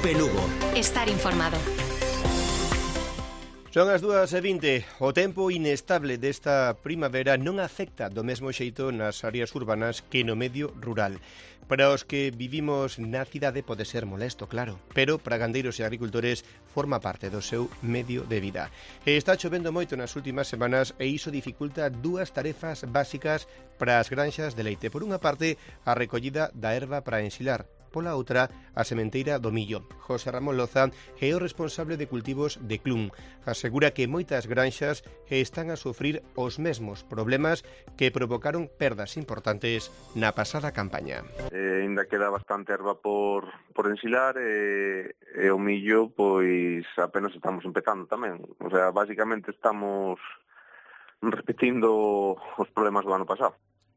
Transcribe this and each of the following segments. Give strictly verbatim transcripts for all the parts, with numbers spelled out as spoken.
Cope Lugo. Estar informado. Son as dúas e vinte. O tempo inestable desta primavera non afecta do mesmo xeito nas áreas urbanas que no medio rural. Para os que vivimos na cidade pode ser molesto, claro, pero para gandeiros e agricultores forma parte do seu medio de vida. E está chovendo moito nas últimas semanas e iso dificulta dúas tarefas básicas para as granxas de leite. Por unha parte, a recollida da erva para ensilar. Pola outra, a sementeira do millo. José Ramón Loza é o responsable de cultivos de Clun. Asegura que moitas granxas están a sufrir os mesmos problemas que provocaron perdas importantes na pasada campaña. Eh, ainda queda bastante erva por, por ensilar e, e o millo, pois apenas estamos empezando tamén. O sea, basicamente estamos repetindo os problemas do ano pasado.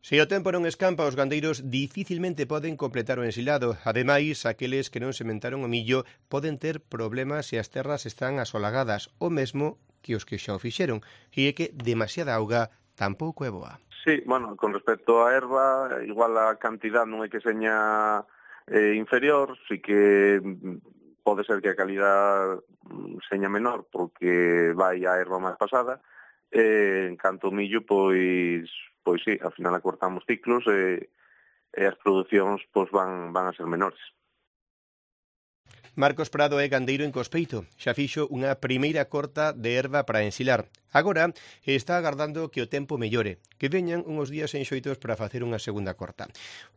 Se o tempo non escampa, os gandeiros dificilmente poden completar o ensilado. Ademais, aqueles que non sementaron o millo poden ter problemas se as terras están asolagadas, o mesmo que os que xa o fixeron. E é que demasiada auga tampouco é boa. Sí, bueno, con respecto á erva, igual a cantidad non é que seña eh, inferior, sí que pode ser que a calidad seña menor porque vai a erva máis pasada. Eh, en canto ao millo, pois... Pois sí, ao final acortamos ciclos e, e as producións pois, van, van a ser menores. Marcos Prado é gandeiro en Cospeito. Xa fixo unha primeira corta de erva para ensilar. Agora está agardando que o tempo mellore, que veñan uns días enxoitos para facer unha segunda corta.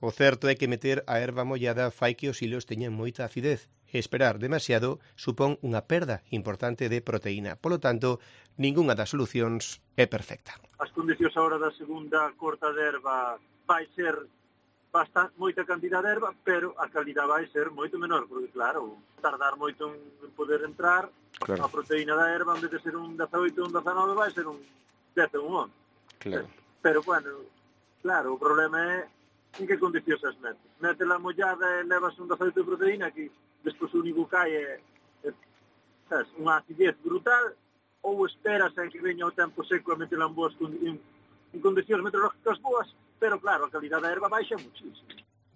O certo é que meter a erva mollada fai que os hilos teñan moita acidez. Esperar demasiado supón unha perda importante de proteína. Polo tanto, ningunha das solucións é perfecta. As condicións agora da segunda corta de erva vai ser bastante, moita cantidad de erva, pero a calidad vai ser moito menor, porque claro, tardar moito en poder entrar, claro. A proteína da erva, en vez de ser un dezaoito ou un dezanove, vai ser un dez ou un once. Claro. Pero, bueno, claro, o problema é en que condicións as metes. Métela mollada e levas un dezaoito de proteína que despois o único que hai é, é sabes, unha acidez brutal, ou esperas a que veña o tempo seco e metela en boas en, en condicións meteorológicas boas, pero claro, a calidad da erva baixa muchísimo.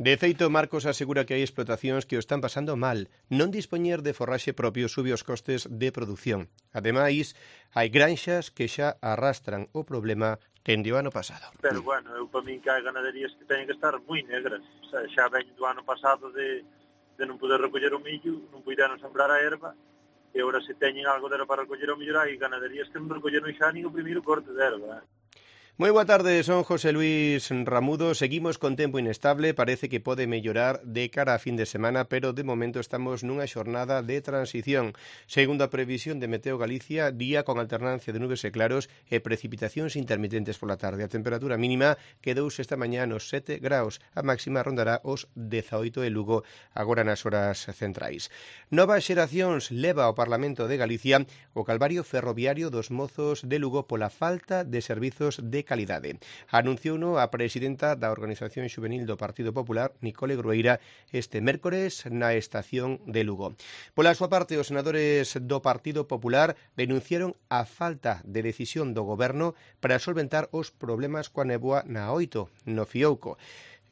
De feito, Marcos asegura que hai explotacións que o están pasando mal. Non dispoñer de forraxe propio sube os costes de produción. Ademais, hai granxas que xa arrastran o problema dende o ano pasado. Pero, bueno, eu para min que hai ganaderías que teñen que estar moi negras. O sea, xa veñen do ano pasado de, de non poder recoller o millo, non puderon sembrar a erva, e agora se teñen algo de para recoller o millo, hai ganaderías que non recolleron xa nin o primeiro corte de erva. Moi boa tarde, son José Luis Ramudo. Seguimos con tempo inestable, parece que pode mellorar de cara a fin de semana, pero de momento estamos nunha xornada de transición. Segundo a previsión de Meteo Galicia, día con alternancia de nubes e claros e precipitacións intermitentes pola tarde. A temperatura mínima quedouse esta mañá nos sete graus, a máxima rondará os dezaoito en Lugo agora nas horas centrais. Novas xeracións leva ao Parlamento de Galicia o calvario ferroviario dos mozos de Lugo pola falta de servizos de calidade. Anunciouno a presidenta da Organización Xuvenil do Partido Popular, Nicole Grueira, este mércores na estación de Lugo. Pola súa parte, os senadores do Partido Popular denunciaron a falta de decisión do goberno para solventar os problemas coa néboa na oito, no Fiouco.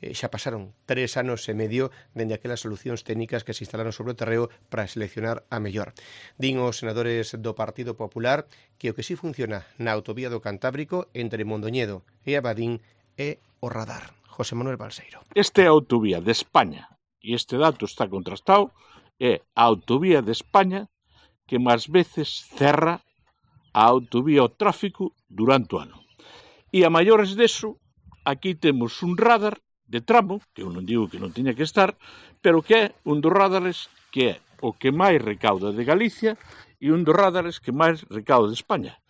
Eh, xa pasaron tres anos e medio dende aquelas solucións técnicas que se instalaron sobre o terreo para seleccionar a mellor. Din os senadores do Partido Popular que o que sí funciona na autovía do Cantábrico entre Mondoñedo e Abadín é o radar. José Manuel Balseiro. Esta é a autovía de España, e este dato está contrastado, é a autovía de España que máis veces cerra a autovía ao tráfico durante o ano. E a maiores deso, aquí temos un radar de tramo, que eu non digo que non tiña que estar, pero que é un dos radares que é o que máis recauda de Galicia e un dos radares que máis recauda de España.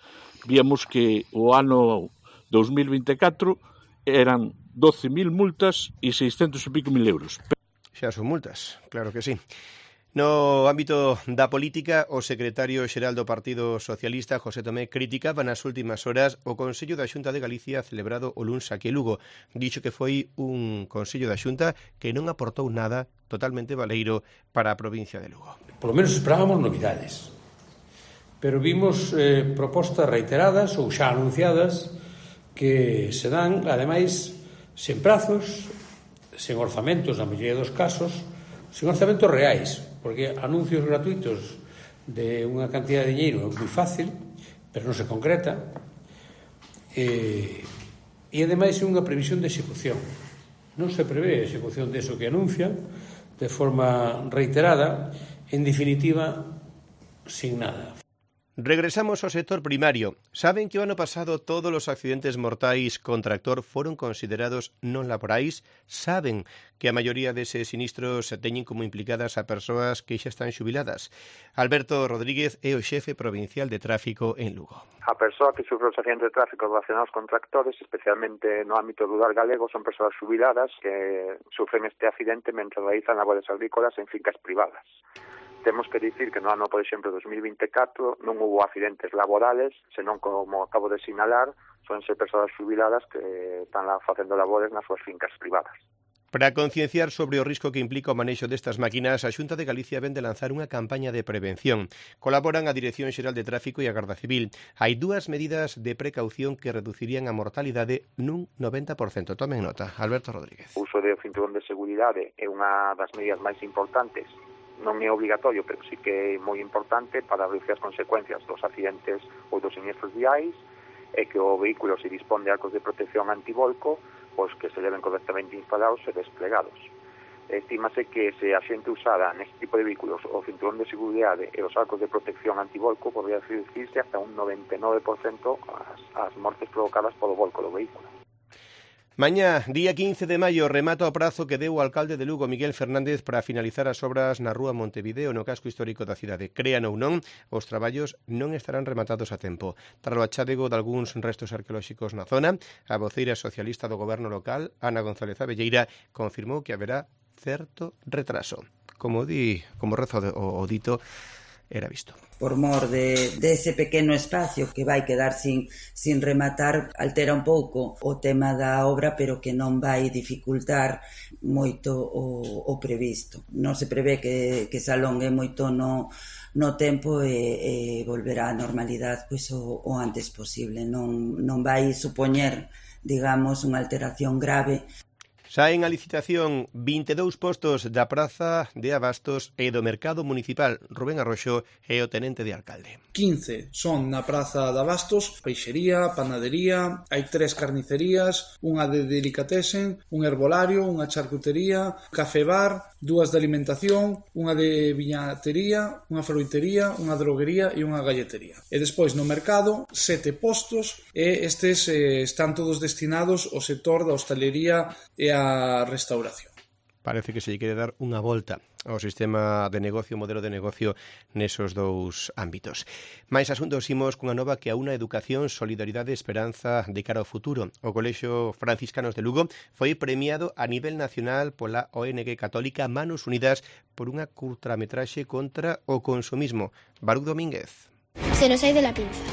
Víamos que o ano dos mil vinte e catro eran doce mil multas e seiscentos e pico mil euros. Xa son multas, claro que sí. No ámbito da política, o secretario xeral do Partido Socialista, José Tomé, criticaba nas últimas horas o Consello da Xunta de Galicia celebrado o luns aquí en Lugo. Dixo que foi un Consello da Xunta que non aportou nada totalmente valeiro para a provincia de Lugo. Por lo menos esperábamos novidades, pero vimos eh, propostas reiteradas ou xa anunciadas que se dan, ademais, sen prazos, sen orzamentos, na maioría dos casos, sen orzamentos reais. porque anuncios gratuitos de unha cantidad de dinheiro é moi fácil, pero non se concreta, e, e ademais é unha previsión de execución. Non se prevé a execución de eso que anuncian de forma reiterada, en definitiva, sin nada. Regresamos ao sector primario. Saben que o ano pasado todos os accidentes mortais con tractor foron considerados non laborais? Saben que a maioría deses sinistros teñen como implicadas a persoas que xa están xubiladas? Alberto Rodríguez é o xefe provincial de tráfico en Lugo. A persoa que sufre os accidentes de tráfico relacionados con tractores, especialmente no ámbito rural galego, son persoas xubiladas que sufren este accidente mentre realizan labores agrícolas en fincas privadas. Temos que dicir que no ano, por exemplo, dos mil vinte e catro non hubo accidentes laborales, senón, como acabo de sinalar, son ser persoas xubiladas que están lá facendo labores nas súas fincas privadas. Para concienciar sobre o risco que implica o manexo destas máquinas, a Xunta de Galicia ven de lanzar unha campaña de prevención. Colaboran a Dirección Xeral de Tráfico e a Garda Civil. Hai dúas medidas de precaución que reducirían a mortalidade nun noventa por cento. Tomen nota. Alberto Rodríguez. O uso de cinturón de seguridade é unha das medidas máis importantes. Non é obligatorio, pero sí que é moi importante para reducir as consecuencias dos accidentes ou dos siniestros viais, e que o vehículo se dispón de arcos de protección antivolco, pois que se leven correctamente instalados e desplegados. Estímase que se a xente usara neste tipo de vehículos o cinturón de seguridade e os arcos de protección antivolco, podría reducirse hasta un noventa e nove por cento as, as mortes provocadas polo volco do vehículo. Mañá, día quince de maio, remata o prazo que deu o alcalde de Lugo, Miguel Fernández, para finalizar as obras na rúa Montevideo, no casco histórico da cidade. Crean ou non, os traballos non estarán rematados a tempo. Tras o achádego de algúns restos arqueolóxicos na zona, a voceira socialista do goberno local, Ana González Abelleira, confirmou que haberá certo retraso. Como di, como rezo o, o dito, era visto. Por mor de, de ese pequeno espacio que vai quedar sin, sin rematar, altera un pouco o tema da obra, pero que non vai dificultar moito o, o previsto. Non se prevé que, que se alongue moito no, no tempo e, e volverá á normalidade pois, o, o antes posible. Non, non vai supoñer, digamos, unha alteración grave. Saen a licitación vinte e dous postos da Praza de Abastos e do Mercado Municipal. Rubén Arroxo é o tenente de alcalde. quince son na Praza de Abastos, peixería, panadería, hai tres carnicerías, unha de delicatessen, un herbolario, unha charcutería, café bar, dúas de alimentación, unha de viñatería, unha froitería, unha droguería e unha galletería. E despois no mercado, sete postos e estes eh, están todos destinados ao sector da hostalería e a restauración. Parece que se lle quere dar unha volta ao sistema de negocio, modelo de negocio nesos dous ámbitos. Mais asuntos imos cunha nova que aúna educación, solidaridade e esperanza de cara ao futuro. O Colexio Franciscanos de Lugo foi premiado a nivel nacional pola O N G católica Manos Unidas por unha curtametraxe contra o consumismo. Baruch Domínguez. Se nos ha ido la pinza.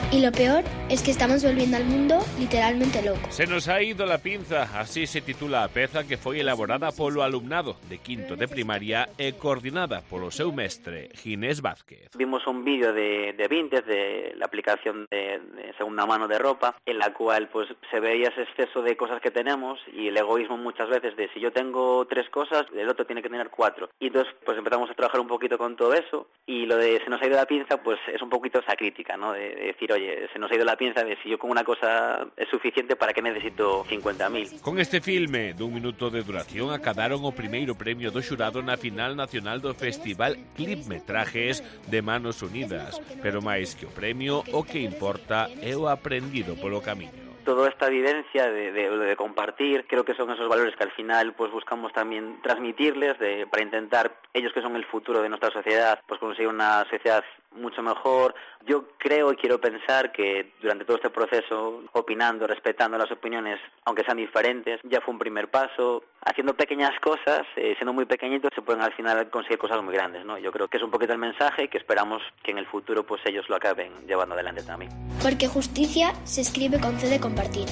Y lo peor es que estamos volviendo al mundo literalmente loco. Se nos ha ido la pinza, así se titula a peza que foi elaborada polo alumnado de quinto de primaria e coordinada polo seu mestre, Ginés Vázquez. Vimos un vídeo de, de Vinted, de la aplicación de, de segunda mano de ropa, en la cual pues se veía ese exceso de cosas que tenemos y el egoísmo muchas veces de si yo tengo tres cosas, el otro tiene que tener cuatro. Y entonces pues empezamos a trabajar un poquito con todo eso, y lo de se nos ha ido la pinza pues es un poquito esa crítica, ¿no? De, de decir, oye, se nos ha ido la pinza de si yo con una cosa es suficiente, ¿para qué necesito cincuenta mil? Con este filme dun minuto de duración acadaron o primeiro premio do xurado na final nacional do Festival Clipmetrajes de Manos Unidas, pero máis que o premio, o que importa é o aprendido polo camiño. Toda esta vivencia de, de, de compartir, creo que son esos valores que al final pues buscamos también transmitirles de, para intentar, ellos que son el futuro de nuestra sociedad, pues conseguir una sociedad mucho mejor. Yo creo y quiero pensar que durante todo este proceso, opinando, respetando las opiniones, aunque sean diferentes, ya fue un primer paso. Haciendo pequeñas cosas, eh, siendo muy pequeñitos, se pueden al final conseguir cosas muy grandes, ¿no? Yo creo que es un poquito el mensaje y que esperamos que en el futuro pues ellos lo acaben llevando adelante también. Porque justicia se escribe con C de compartir.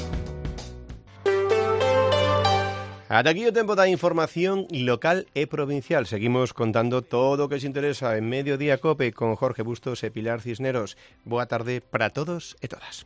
Ata aquí o tempo da información local e provincial. Seguimos contando todo o que se interesa en Mediodía Cope con Jorge Bustos e Pilar Cisneros. Boa tarde para todos e todas.